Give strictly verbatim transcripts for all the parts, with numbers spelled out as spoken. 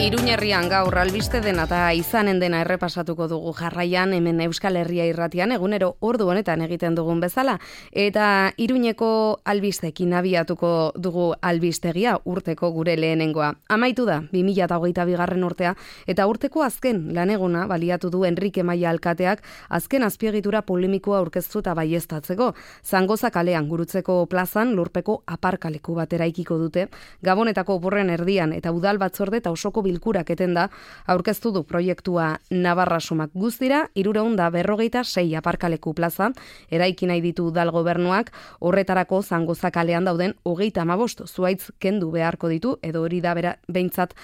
Iruñerrian gaur albiste dena eta izanen dena errepasatuko dugu jarraian hemen Euskal Herria irratian egunero ordu honetan egiten dugun bezala eta Iruñeko albistekin abiatuko dugu albistegia urteko gure lehenengoa. Amaitu da bi mila hogeita bigarren urtea eta urteko azken laneguna baliatu du Enrique Maia alkateak azken azpiegitura polemikoa aurkeztu eta baieztatzeko. Zangoza kalean Gurutzeko plazan lurpeko aparkaleku bat eraikiko dute. Gabonetako oporren erdian eta udal batzorde eta osoko bilkurak etenda aurkeztu du proiektua Navarra Sumak guztira hirurehun eta berrogeita sei aparkaleku plaza eraiki nahi ditu udal gobernuak horretarako Zangoza kalean dauden hogeita hamabost zuhaitz kendu beharko ditu edo hori da bera behintzat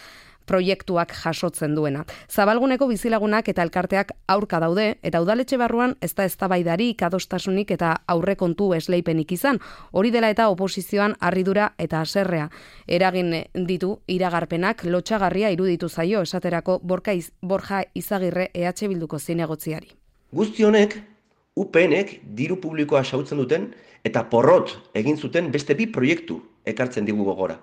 proiektuak jasotzen duena. Zabalguneko bizilagunak eta elkarteak aurka daude eta udaletxe barruan ez da eztabaidarik adostasunik eta aurrekontu esleipenik izan. Hori dela eta oposizioan harridura eta haserrea eragin ditu iragarpenak lotsagarria iruditu zaio esaterako Borja, Iz, Borja Izagirre E H Bilduko zinegotziari. Guzti honek U P Nek diru publikoa xautzen duten eta porrot egin zuten beste bi proiektu ekartzen digu gogora.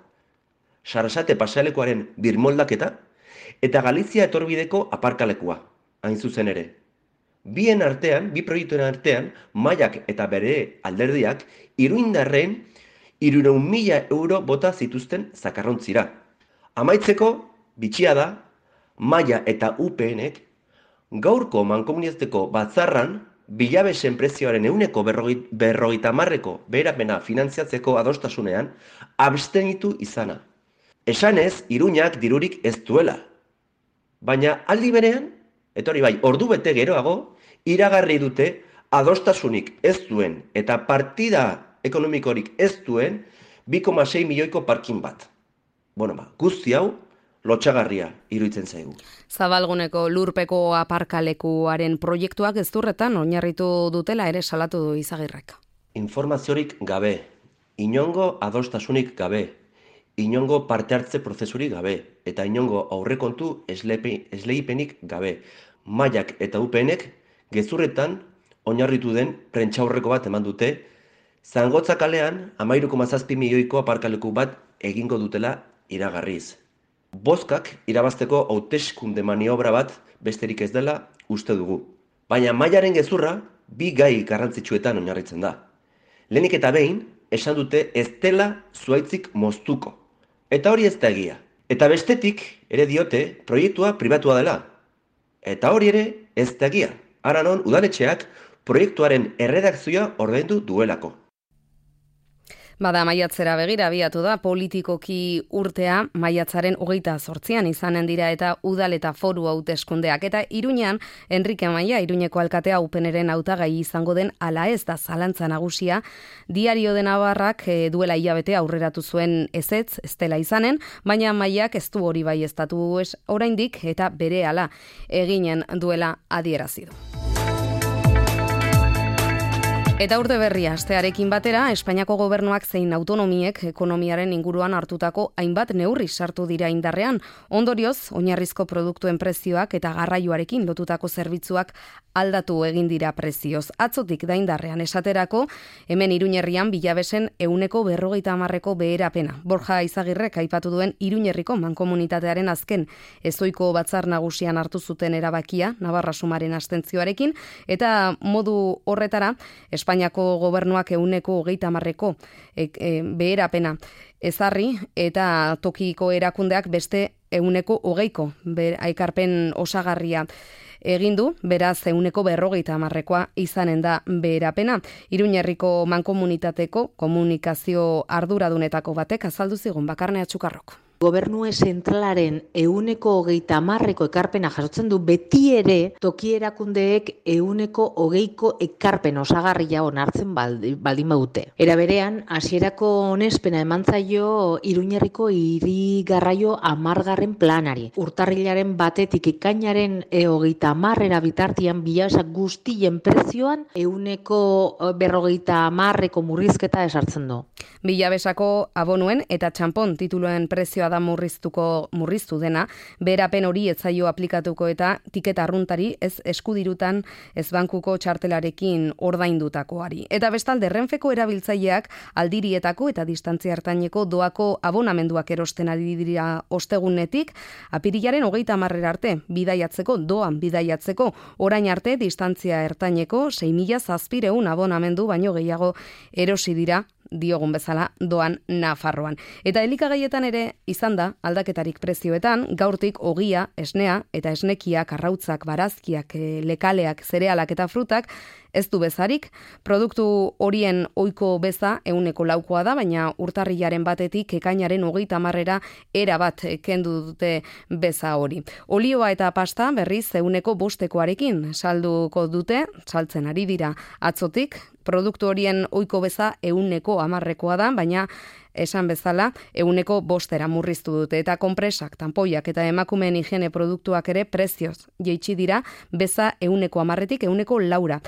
Sarasate pasealekuaren birmoldaketa eta Galizia etorbideko aparkalekua, hain zuzen ere. Bien artean, bi proiektuen artean, Maiak eta bere alderdiak iruindarren hirurehun mila euro bota zituzten zakarrontzira. Amaitzeko, bitxia da, Maia eta U P Nek gaurko mankomunizateko batzarran bilabesen prezioaren ehuneko berrogeita hamarreko beherapena finantziatzeko adostasunean abstenitu izana. Esanez, Iruñak dirurik ez duela. Baina aldi berean, eta hori bai, ordu bete geroago, iragarri dute adostasunik ez duen eta partida ekonomikorik ez duen bi koma sei milioiko parkin bat. Bueno, ba, guzti hau lotsagarria iruditzen zaigu. Zabalguneko lurpeko aparkalekuaren proiektuak gezurretan oinarritu dutela ere salatu du Izagirrek. Informaziorik gabe, inongo adostasunik gabe, inongo parte hartze prozesurik gabe eta inongo aurrekontu esleipenik gabe. Maiak eta U P Nek gezurretan oinarritu den prentsaurreko bat eman dute Zangotza kalean hamairu koma zazpi milioiko aparkaleku bat egingo dutela iragarriz. Bozkak irabazteko hauteskunde maniobra bat besterik ez dela uste dugu. Baina Maiaren gezurra bi gai garrantzitsuetan oinarritzen da. Lehenik eta behin esan dute ez dela zuhaitzik moztuko. Eta hori ez da egia. Eta bestetik ere diote proiektua pribatua dela. Eta hori ere ez da egia. Ara non udaletxeak proiektuaren erredakzioa ordaindu duelako. Bada maiatzera begira abiatu da politikoki urtea maiatzaren hogeita zortzian izanen dira eta udal eta foru hauteskundeak eta Iruñan Enrique Maia Iruñeko alkatea U P Nren hautagai izango den ala ez da zalantza nagusia. Diario de Navarrak e, duela hilabete aurreratu zuen ezetz ez dela izanen, baina Maiak ez du hori baieztatu ez oraindik eta berehala eginen duela adierazi du. Eta urte berria astearekin batera, Espainiako gobernuak zein autonomiek ekonomiaren inguruan hartutako hainbat neurri sartu dira indarrean. Ondorioz, oinarrizko produktuen prezioak eta garraioarekin lotutako zerbitzuak aldatu egin dira prezioz. Atzotik da indarrean esaterako, hemen Iruñerrian bilabesen ehuneko berrogeita hamarreko beherapena. Borja Izagirrek aipatu duen Iruñerriko mankomunitatearen azken ezoiko batzar nagusian hartu zuten erabakia, Navarra Sumaren abstentzioarekin, eta modu horretara, Espainiako gobernuak ehuneko hogeita hamarreko e, e, beherapena ezarri eta tokiko erakundeak beste ehuneko hogeiko aikarpen osagarria egin du, beraz ehuneko berrogeita hamarrekoa izanen da beherapena. Iruñerriko mankomunitateko komunikazio arduradunetako batek azaldu zigun Bakarne Atxukarrok. Gobernue zentralaren ehuneko hogeita hamarreko ekarpena jasotzen du beti ere toki erakundeek ehuneko hogeiko ekarpen osagarria onartzen baldin badute. Era berean, hasierako onespena eman zaio Iruñerriko hiri garraio hamargarren planari. Urtarrilaren batetik ekainaren hogeita hamarrera bitartian bilabesak guztien prezioan ehuneko berrogeita hamarreko murrizketa esartzen du. Bilabesako abonuen eta txampon tituluen prezioa prezioa da murriztuko murriztu dena, beherapen hori ez zaio aplikatuko eta tiketa arruntari ez eskudirutan ez bankuko txartelarekin ordaindutakoari. Eta bestalde Renfeko erabiltzaileak aldirietako eta distantzia hartaineko doako abonamenduak erosten ari dira ostegunetik, apirilaren hogeita hamarrera arte bidaiatzeko, doan bidaiatzeko, orain arte distantzia ertaineko sei mila zazpiehun abonamendu baino gehiago erosi dira, diogun bezala doan Nafarroan. Eta elikagaietan ere izan da aldaketarik prezioetan, gaurtik ogia, esnea eta esnekiak, arrautzak, barazkiak, lekaleak, zerealak eta frutak ez du bezarik. Produktu horien ohiko beza ehuneko laukoa da, baina urtarrilaren batetik ekainaren hogeita hamarrera era bat kendu dute beza hori. Olioa eta pasta berriz ehuneko bostekoarekin salduko dute, saltzen ari dira atzotik. Produktu horien ohiko beza ehuneko hamarrekoa da, baina esan bezala ehuneko bostera murriztu dute. Eta konpresak, tanpoiak eta emakumeen higiene produktuak ere prezioz jaitsi dira, beza ehuneko hamarretik ehuneko laura.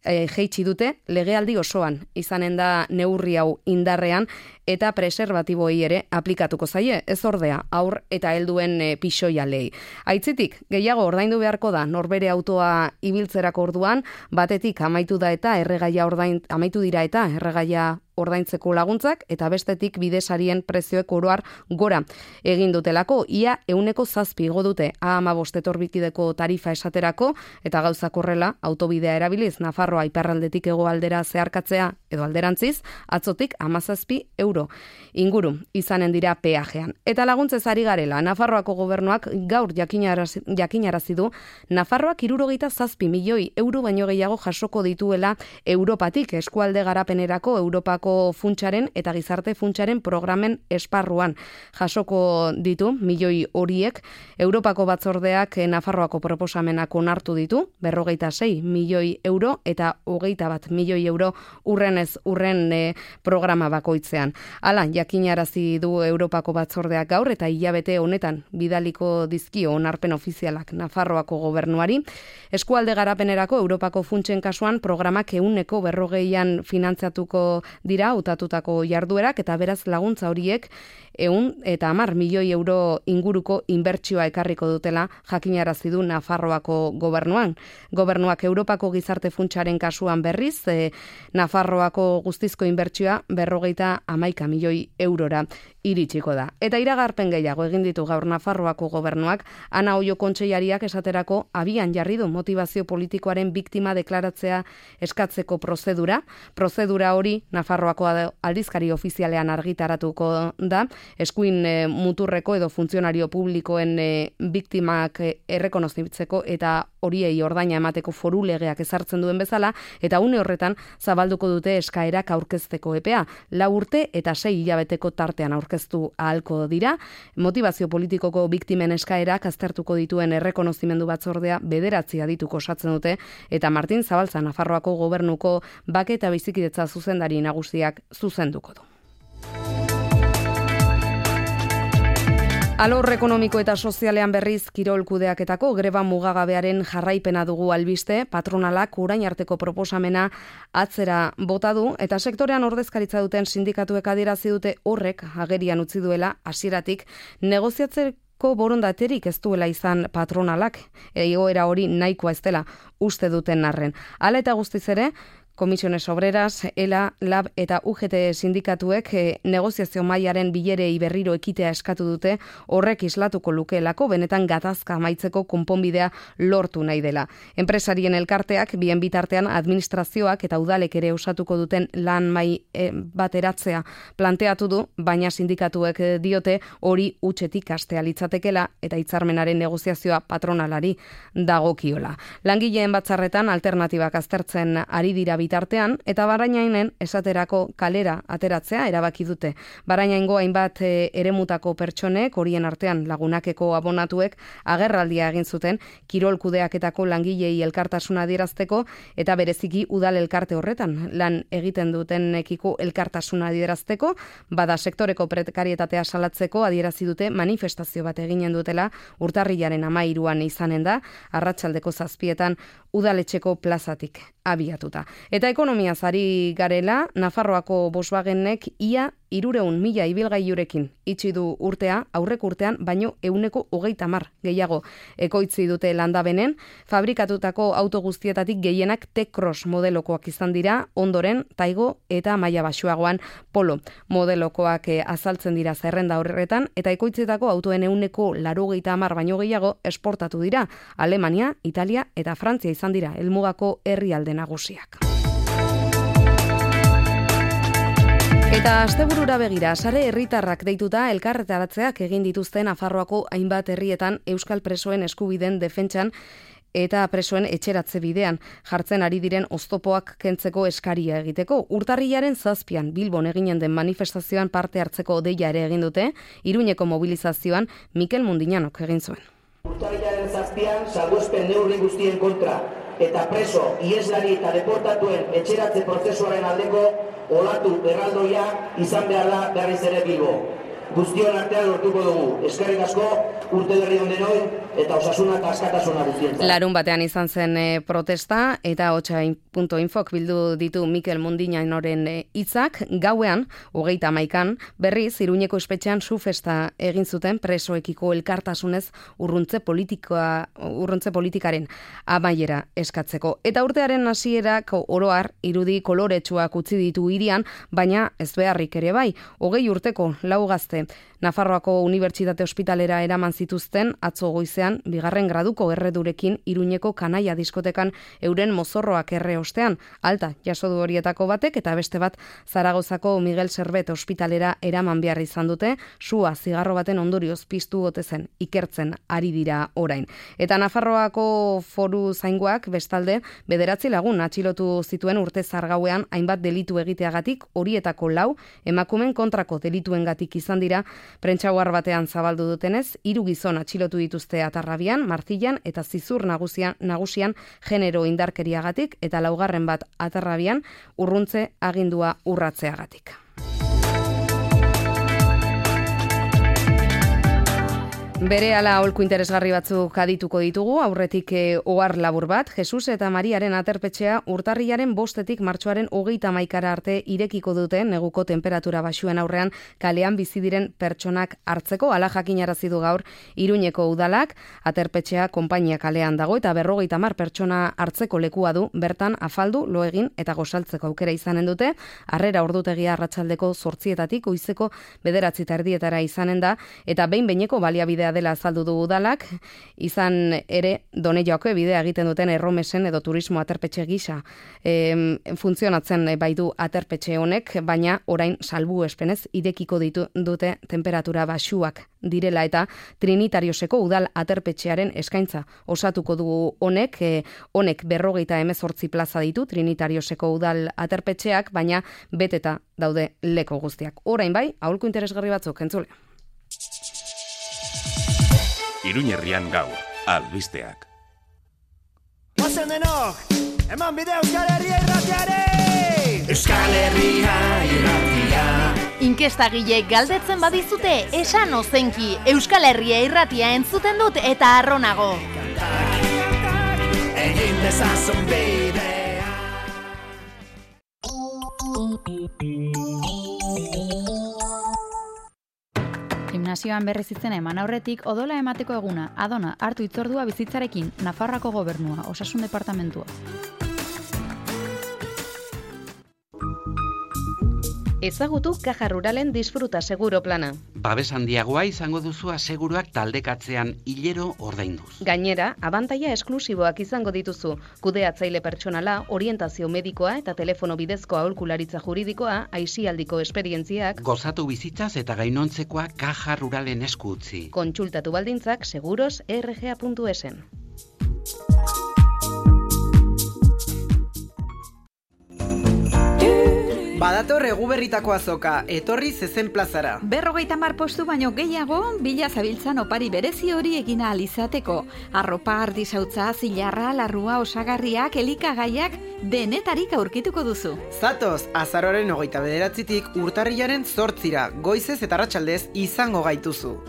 E, jaitsi dute legealdi osoan izanen da neurri hau indarrean eta preserbatiboi ere aplikatuko zaie, ez ordea aur eta helduen e, pixoialei. Aitzitik, gehiago ordaindu beharko da norbere autoa ibiltzerako orduan, batetik amaitu da eta erregaia ordain amaitu dira eta erregaia ordaintzeko laguntzak, eta bestetik bidesarien prezioek oroar gora egin dutelako, ia ehuneko zazpi igo dute A hamabost etorbikideko tarifa esaterako, eta gauzak horrela autobidea erabiliz Nafarroa iparraldetik hegoaldera zeharkatzea edo alderantziz, atzotik hamazazpi euro inguru izanen dira peajean. Eta laguntzez ari garela, Nafarroako gobernuak gaur jakinarazi, jakinarazi du Nafarroak hirurogeita zazpi milioi euro baino gehiago jasoko dituela Europatik, eskualde garapenerako Europako funtsaren eta gizarte funtsaren programen esparruan jasoko ditu milioi horiek. Europako batzordeak Nafarroako proposamenak onartu ditu, berrogeita sei milioi euro eta hogeita bat milioi euro urrenez urren e, programa bakoitzean. Hala, jakinarazi du Europako batzordeak gaur eta hilabete honetan bidaliko dizkio onarpen ofizialak Nafarroako gobernuari. Eskualde garapenerako Europako funtsen kasuan programak ehuneko berrogeian finantzatuko dira hautatutako jarduerak, eta beraz laguntza horiek ehun eta hamar milioi euro inguruko inbertsioa ekarriko dutela jakinarazi du Nafarroako gobernuan. Gobernuak Europako gizarte funtsaren kasuan berriz, e, Nafarroako guztizko inbertsioa berrogeita hamaika milioi eurora iritsiko da. Eta iragarpen gehiago egin ditu gaur Nafarroako gobernuak, Ana Oio kontseilariak esaterako abian jarri du motibazio politikoaren biktima deklaratzea eskatzeko prozedura. Prozedura hori Nafarroako aldizkari ofizialean argitaratuko da, eskuin e, muturreko edo funtzionario publikoen e, biktimak e, errekonozitzeko eta horiei ordaina emateko foru legeak ezartzen duen bezala, eta une horretan zabalduko dute eskaerak aurkezteko epea. Lau urte eta sei hilabeteko tartean aurkeztu ahalko dira. Motibazio politikoko biktimen eskaerak aztertuko dituen errekonozimendu batzordea bederatzi adituko osatzen dute, eta Martin Zabalza Nafarroako gobernuko bake eta bizikidetza zuzendari nagusiak zuzenduko du. Alor ekonomiko eta sozialean berriz kirol kudeaketako greba mugagabearen jarraipena dugu albiste. Patronalak orain arteko proposamena atzera bota du eta sektorean ordezkaritza duten sindikatuek adierazi dute horrek agerian utzi duela hasieratik negoziatzeko borondaterik ez duela izan patronalak, egoera hori nahikoa ez dela uste duten arren. Hala eta guztiz ere, Komisiones Obreras, ELA, LAB eta U G T sindikatuek e, negoziazio mailaren bilerei berriro ekitea eskatu dute, horrek islatuko lukeelako benetan gatazka amaitzeko konponbidea lortu nahi dela. Enpresarien elkarteak bien bitartean administrazioak eta udalek ere osatuko duten lan mai e, bateratzea planteatu du, baina sindikatuek diote hori hutsetik hastea litzatekela eta hitzarmenaren negoziazioa patronalari dagokiola. Langileen batzarretan alternatibak aztertzen ari dira bitartean, eta Barainainen esaterako kalera ateratzea erabaki dute. Barainaingo hainbat e, eremutako pertsonek, horien artean lagunakeko abonatuek, agerraldia egin zuten kirol kudeaketako langilei elkartasuna adierazteko, eta bereziki udal elkarte horretan lan egiten dutenekiko elkartasuna adierazteko, bada sektoreko prekarietatea salatzeko adierazi dute manifestazio bat eginen dutela urtarrilaren hamairuan izanen da, arratsaldeko zazpietan udaletxeko plazatik abiatuta. Eta ekonomiaz ari garela, Nafarroako Volkswagenek ia hirureun mila ibilgailurekin itxi du urtea, aurrek urtean baino ehuneko hogeita hamar gehiago ekoitzi dute Landabenen. Fabrikatutako auto guztietatik gehienak T-Cross modelokoak izan dira, ondoren Taigo eta maila baxuagoan Polo modelokoak azaltzen dira zerrenda horretan, eta ekoitzetako autoen ehuneko laurogeita hamar baino gehiago esportatu dira. Alemania, Italia eta Frantzia izan dira helmugako herrialde nagusiak. Eta asteburura begira, sare herritarrak deituta elkarretaratzeak egin dituzten Nafarroako hainbat herrietan euskal presoen eskubideen defentsan eta presoen etxeratze bidean jartzen ari diren oztopoak kentzeko eskaria egiteko. Urtarrilaren zazpian Bilbon eginen den manifestazioan parte hartzeko deia ere egin dute, Iruñeko mobilizazioan Mikel Mundinanok egin zuen. Urtarrilaren zazpian salbuespen neurri guztien kontra eta preso, ieslari eta deportatuen etxeratze prozesuaren aldeko olatu erraldoia izan behar da berriz ere Bilbo. Guztion artean lortuko dugu. Eskerrik asko, urte berri on denoi eta osasuna eta askatasuna guztientzat. Larun batean izan zen e, protesta eta hotsa puntu infok bildu ditu Mikel Mundinanoren hitzak. E, gauean, hogeita hamaikan, berriz Iruñeko espetxean su festa egin zuten presoekiko elkartasunez urruntze politikoa, urruntze politikaren amaiera eskatzeko. Eta urtearen hasierak oroar irudi koloretsuak utzi ditu hirian, baina ez beharrik ere bai. Hogei urteko lau gazte Nafarroako Unibertsitate Ospitalera eraman zituzten atzo goizean bigarren graduko erredurekin Iruñeko kanaia diskotekan euren mozorroak erre ostean. Alta jaso du horietako batek eta beste bat Zaragozako Miguel Servet Ospitalera eraman behar izan dute, sua zigarro baten ondorioz piztu ote zen ikertzen ari dira orain. Eta Nafarroako Foru Zaingoak bestalde bederatzi lagun atxilotu zituen urte zargauean hainbat delitu egiteagatik, horietako lau emakumen kontrako delituengatik izan dira. Prentsaoar batean zabaldu dutenez, hiru gizon atxilotu dituzte Atarrabian, Martillan eta Zizur nagusian, nagusian genero indarkeriagatik eta laugarren bat Atarrabian urruntze agindua urratzeagatik. Berehala aholku interesgarri batzuk adituko ditugu, aurretik e, ohar labur bat, Jesus eta Mariaren aterpetxea urtarrilaren bostetik martxoaren hogeita hamaikara arte irekiko dute neguko temperatura baxuen aurrean kalean bizi diren pertsonak hartzeko. Hala jakinarazi du gaur Iruñeko udalak, aterpetxea konpainia kalean dago eta berrogeita hamar pertsona hartzeko lekua du, bertan afaldu, lo egin eta gozaltzeko aukera izanen dute. Harrera ordutegia arratsaldeko zortzietatik goizeko bederatzi eta erdietara izanen da, eta behin behineko baliabidea dela azaldu du udalak, izan ere Donejoako bidea egiten duten erromesen edo turismo aterpetxe gisa e, funtzionatzen bai du aterpetxe honek, baina orain salbuespenez irekiko ditu dute temperatura baxuak direla eta Trinitarioseko udal aterpetxearen eskaintza osatuko du honek, e, honek berrogeita hemezortzi plaza ditu Trinitarioseko udal aterpetxeak, baina beteta daude leko guztiak. Orain bai, aholku interesgarri batzuk entzule. Iruñerrian gaur, albisteak. Ozen denok, eman bide Euskal Herria irratiare! Euskal Herria irratia. Inkestagile galdetzen badizute, esan ozenki, Euskal Herria irratia entzuten dut eta arronago. Egin dezazun bidea. Gimnasioan berriz izena eman aurretik odola emateko eguna, Adona hartu hitzordua bizitzarekin, Nafarroako Gobernua, Osasun Departamentua. Ezagutu Caja Ruralen Disfruta Seguro plana. Babes handiagoa izango duzu aseguruak taldekatzean hilero ordainduz. Gainera, abantaila esklusiboak izango dituzu. Kudeatzaile pertsonala, orientazio medikoa eta telefono bidezko aholkularitza juridikoa, aisialdiko esperientziak. Gozatu bizitzaz eta gainontzekoa Caja Ruralen esku utzi. Kontsultatu baldintzak seguros erre ge a puntu esen. Badator eguberritako azoka, etorri zezen plazara. Berrogeita hamar postu baino gehiago, bila zabiltzan opari berezi hori egina alizateko. Arropa, ardisautza, zilarra, larrua, osagarriak, elikagaiak, denetarik aurkituko duzu. Zatoz, azaroaren hogeita bederatzitik urtarrilaren zortzira, goizez eta arratsaldez izango gaituzu.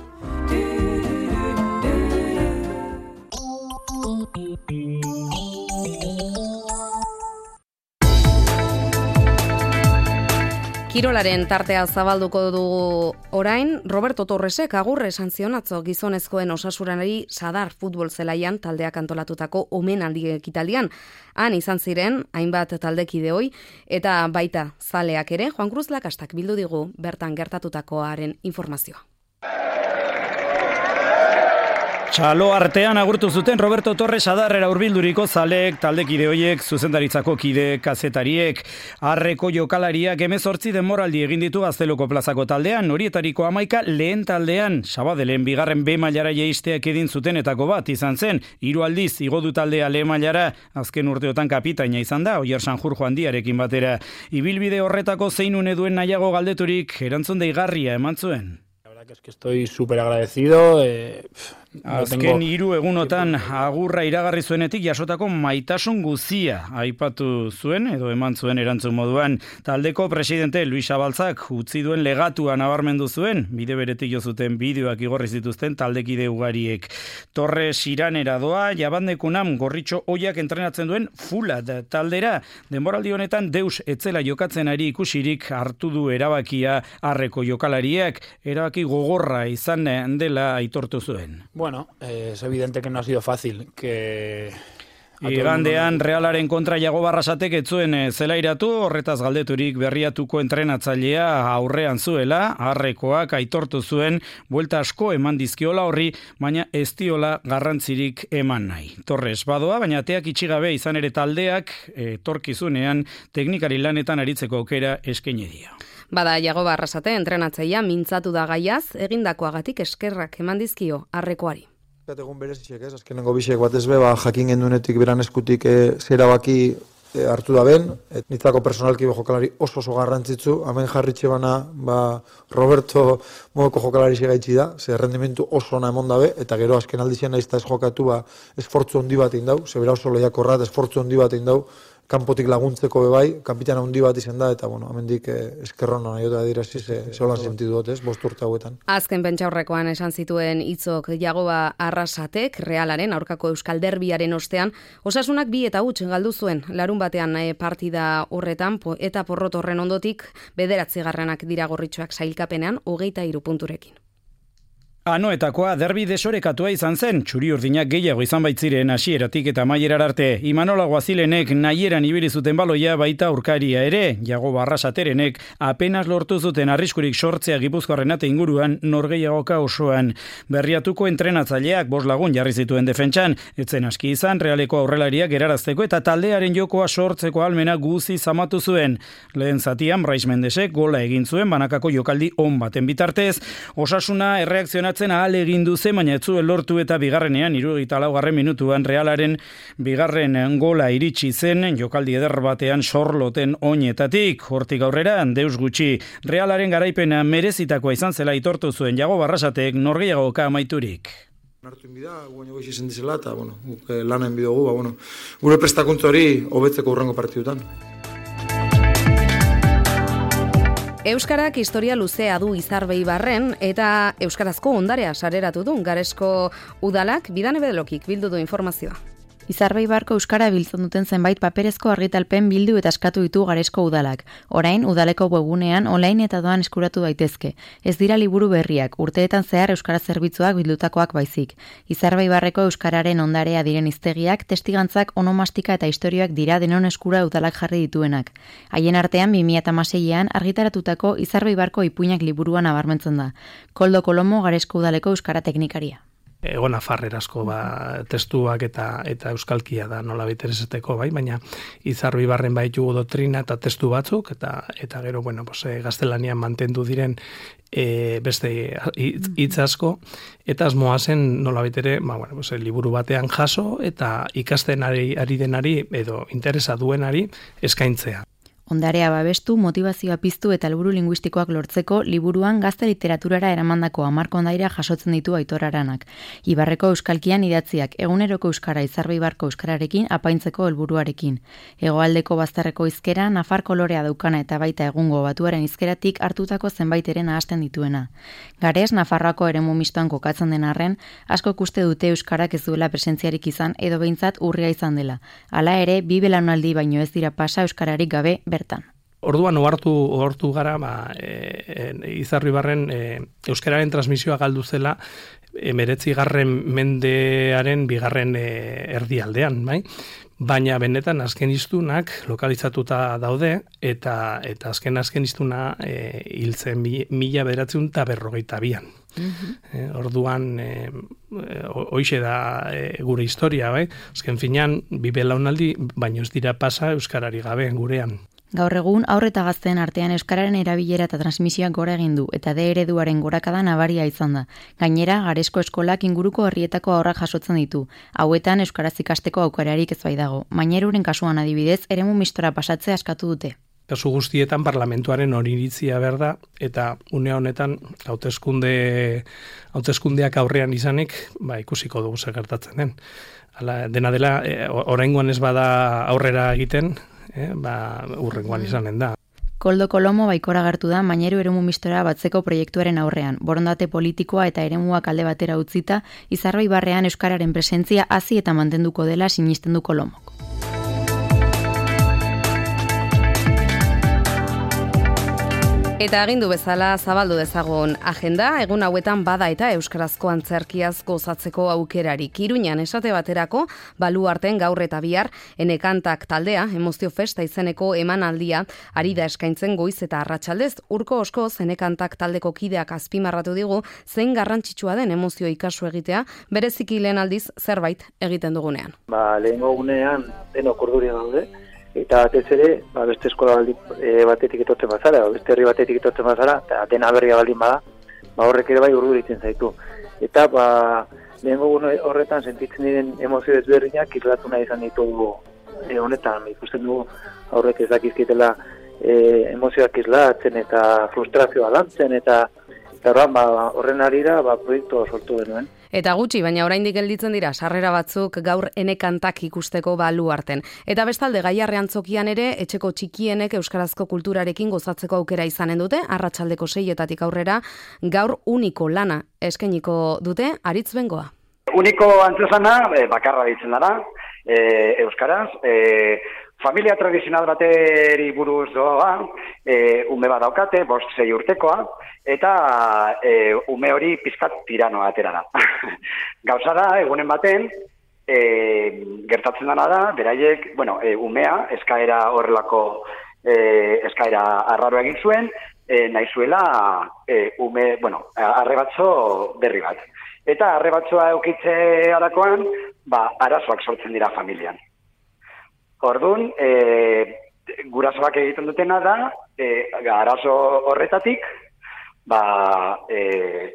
Kirolaren tartea zabalduko dugu orain, Roberto Torresek agurre esan zion atzo gizonezkoen Osasunari Sadar futbol zelaian taldeak antolatutako omenaldi ekitaldian. Han izan ziren hainbat taldekide hoi eta baita zaleak ere. Juan Cruz Lakastak bildu digu bertan gertatutakoaren informazioa. Txalo artean agurtu zuten Roberto Torres Sadarrera hurbilduriko zaleek, taldekide hoiek, zuzendaritzako kide kazetariek. Arreko jokalariak hemezortzi denboraldi egin ditu Gazteluko plazako taldean, horietariko hamaika lehen taldean, Sabadellen bigarren B mailara jaisteak edin zutenetako bat izan zen, hiru aldiz igo du taldea lehen mailara, azken urteotan kapitaina izan da, Oier Sanjur Joandiarekin batera. Ibilbide horretako zein une duen nahiago galdeturik, erantzun deigarria eman zuen. La verdad que es que estoy súper agradecido. Eh, Azken hiru egunotan agurra iragarri zuenetik jasotako maitasun guzia aipatu zuen edo eman zuen erantzun moduan. Taldeko presidente Luis Abaltzak utzi duen legatua nabarmendu zuen, bide beretik jo zuten bideoak igorri zituzten taldekide ugariek. Torres Iranera doa, jabandekunam gorritxo oiak entrenatzen duen Fulat taldera. Denboraldi honetan deus etzela jokatzen ari ikusirik hartu du erabakia Arreko jokalariak, erabaki gogorra izan dela aitortu zuen. Bueno, eh, es evidente que no ha sido fácil, que... Igandean Realaren kontra Iago Barrasatek ez zuen zelairatu, horretaz galdeturik berriatuko entrenatzailea aurrean zuela, Arrekoak aitortu zuen, buelta asko eman dizkiola horri, baina ez diola garrantzirik eman nahi. Torres badoa, baina ateak itxigabe izan ere taldeak, etorkizunean teknikari lanetan aritzeko aukera eskaini dio. Bada, Iago Barrasate entrenatzailea mintzatu da gaiaz, egindakoagatik eskerrak eman dizkio Arrekoari. Egun berezitxek ez, azkenengo bisek batez be, ba, jakin gendunetik beran eskutik e, zera baki e, hartu da ben, et nitzako personalki be jokalari oso oso garrantzitzu, hemen jarritxe bana ba, Roberto modoko jokalari segaitzi da, ze rendimentu oso ona emon dabe, eta gero azken aldizien naizta ez jokatu ba, esfortzu handi bat indau, zebera oso lehiakorrat, esfortzu handi bat indau, kanpotik laguntzeko bebai, kapitana handi bat izan da, eta bueno, hemendik eh, eskerrona nahi eta dirazi ze holan sentidu dut, ez, bost urte hauetan. Azken pentsaurrekoan esan zituen hitzok Jagoba Arrasatek, Realaren aurkako Euskal Derbiaren ostean, Osasunak bi eta huts galdu zuen, larun batean eh, partida horretan, po, eta porrot horren ondotik, bederatzigarrenak dira gorritxoak sailkapenean, hogeita hiru punturekin. Anoetakoa derbi desorekatua izan zen, txuri urdinak gehiago izan baitziren hasieratik eta amaierar arte. Imanola Guazilenek nahieran ibili zuten baloia baita aurkaria ere, Jagoba Arrasaterenek apenas lortu zuten arriskurik sortzea Gipuzkoarren ate inguruan norgehiagoka osoan. Berriatuko entrenatzaileak bost lagun jarri zituen defentsan, etzen aski izan Realeko aurrelariak erarazteko eta taldearen jokoa sortzeko almena guzi zamatu zuen. Lehen zatian Brais Mendesek gola egin zuen banakako jokaldi on baten bitartez, Osasuna erreakzionatzen ahal egin duze, baina ez zuen lortu eta bigarrenean, hirurogeita laugarren minutuan Realaren bigarren gola iritsi zen, jokaldi eder batean sorloten oinetatik. Hortik aurrera, deus gutxi, Realaren garaipena merezitakoa izan zela aitortu zuen Jago Barrasatek norgehiagoka amaiturik. Nartu inbida, guaino goiz izan dizela, eta bueno, lanen bidogu, ba, bueno, gure prestakuntza hori hobetzeko hurrengo partidutan. Euskarak historia luzea du Izarbeibarren eta euskarazko ondarea sareratu du Garesko udalak Bidane Bedelokik bildu du informazioa. Izarbeibarko euskara biltzen duten zenbait paperezko argitalpen bildu eta eskatu ditu Garesko udalak. Orain udaleko webgunean online eta doan eskuratu daitezke. Ez dira liburu berriak, urteetan zehar euskara zerbitzuak bildutakoak baizik. Izarbeibarreko euskararen ondarea diren hiztegiak, testigantzak, onomastika eta istorioak dira denon eskura udalak jarri dituenak. Haien artean bi mila hamaseian argitaratutako Izarbeibarko ipuinak liburuan nabarmentzen da. Koldo Kolomo Garesko udaleko euskara teknikaria. Ego nafarrerazko ba, testuak eta eta euskalkia da nola intereseteko, bai, baina Izarbeibarren baitugu doktrina eta testu batzuk, eta eta gero, bueno, pues, e, gaztelanian mantendu diren e, beste hitz asko, eta asmoa zen nola ere, ba, bueno, pues, liburu batean jaso, eta ikasten ari, ari denari, edo interesa duenari eskaintzea. Ondarea babestu, motivazioa piztu eta helburu linguistikoak lortzeko liburuan gazte literaturara eramandako hamarko ondaira jasotzen ditu Aitor Aranak. Ibarreko euskalkian idatziak eguneroko euskara Izarbeibarko euskararekin apaintzeko helburuarekin. Hegoaldeko bazterreko hizkera nafar kolorea daukana eta baita egungo batuaren hizkeratik hartutako zenbaiteren nahasten dituena. Gares Nafarroako eremu mistoan kokatzen den arren, asko ikuste dute euskarak ez duela presentziarik izan edo behintzat urria izan dela. Hala ere, bi belaunaldi baino ez dira pasa euskararik gabe bertan. Orduan ohartu ohartu gara ba e, e, Izarribarren e, euskararen transmisioa galdu zela hemeretzigarren mendearen bigarren e, erdialdean, bai? Baina benetan azken hiztunak lokalizatuta daude eta eta azken azken hiztuna e, hiltzen mila bederatziehun eta berrogeita bian. Mm-hmm. E, orduan e, hoixe da e, gure historia, bai? Azken finean bi belaunaldi baino ez dira pasa euskarari gabe gurean. Gaur egun haur eta gazteen artean euskararen erabilera eta transmisioak gora egin du eta D ereduaren gorakada nabaria izan da. Gainera, Garesko eskolak inguruko herrietako haurrak jasotzen ditu. Hauetan euskaraz ikasteko aukerarik ez bai dago. Maineruren kasuan adibidez, eremu mistora pasatzea askatu dute. Kasu guztietan parlamentuaren oniritzia berda eta une honetan hauteskunde hauteskundeak aurrean izanik, ba ikusiko dugu zer gertatzen den. Hala, dena dela e, oraingoan ez bada aurrera egiten, Eh, ba, urrengoan izanen da. Koldo Kolomo baikora agertu da Maineru eremu mistora batzeko proiektuaren aurrean. Borondate politikoa eta eremuak alde batera utzita, Izarribarrean euskararen presentzia hazi eta mantenduko dela sinisten du Kolomok. Eta agindu bezala zabaldu dezagun agenda, egun hauetan bada eta euskarazko antzerkiaz gozatzeko aukerarik. Iruñan esate baterako, Baluarten gaur eta bihar, Enekantak taldea, Emozio Festa izeneko emanaldia, ari da eskaintzen goiz eta arratsaldez. Urko oskoz, Enekantak taldeko kideak azpimarratu digu, zein garrantzitsua den emozio ikasu egitea, bereziki lehen aldiz zerbait egiten dugunean. Ba, lehengo gunean, denok urduri daude, eta batez ere, ba, beste eskola baldi, e, batetik etortzen bazara, beste herri batetik etortzen bazara, eta dena berria baldin bada, ba, horrek ere bai urduritzen zaitu. Eta ba, lehengo horretan sentitzen diren emozio ezberdinak islatu nahi izan ditugu e, honetan. Ikusten dugu aurrek ez dakizkitela e, emozioak islatzen eta frustrazioa lantzen, eta eta horren, ba, horren arira ba, proiektu sortu genuen. Eta gutxi, baina oraindik gelditzen dira sarrera batzuk gaur Enekantak ikusteko Baluarten. Eta bestalde Gaiarrean Zokian ere etxeko txikienek euskarazko kulturarekin gozatzeko aukera izanen dute, arratsaldeko seietatik aurrera gaur uniko lana eskainiko dute Aritz Bengoa. Uniko antzezana e, bakarra ditzen dara, e, euskaraz, e, familia tradizional bateri buruz doa, e, ume bat daukate, bost sei urtekoa, eta e, ume hori pizkat tiranoa atera da. Gauza da, egunen baten, e, gertatzen dana da, beraiek, bueno, e, umea, eskaera horrelako, e, eskaera arraro egin zuen, e, nahi zuela e, ume, bueno, arrebatzo berri bat. Eta arrebatzoa eukitze arakoan, ba, arazoak sortzen dira familian. Orduan, e, gurasoak egiten dutena da, e, arazo horretatik, ba, e,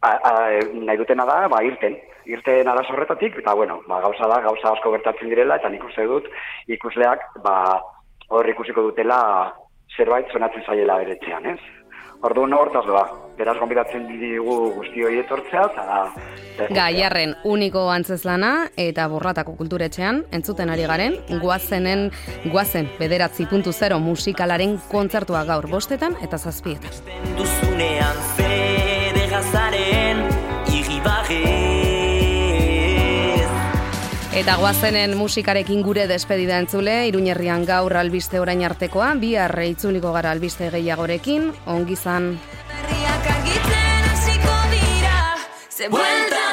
a, a, nahi dutena da, ba, irten. Irten arazo horretatik, eta bueno, ba, gauza da, gauza asko gertatzen direla, eta nik uste dut, ikusleak, ba, hor ikusiko dutela zerbait zonatzen zaiela beretzean, ez? Orduan hortaz doa, beraz gonbidatzen digu guzti hori etortzea, eta... Gaiarren uniko antzezlana eta Borratako kulturetxean, entzuten ari garen, guazenen, guazen bederatzi puntu zero musikalaren kontzertua gaur bostetan eta zazpietan. Duzunean zede gazaren irribarrez. Eta guazenen musikarekin gure despedida entzule, Iruñerrian gaur albiste orain artekoa, bihar itzuliko gara albiste gehiagorekin, ongi izan. Herriak argitzen hasiko dira, ze buelta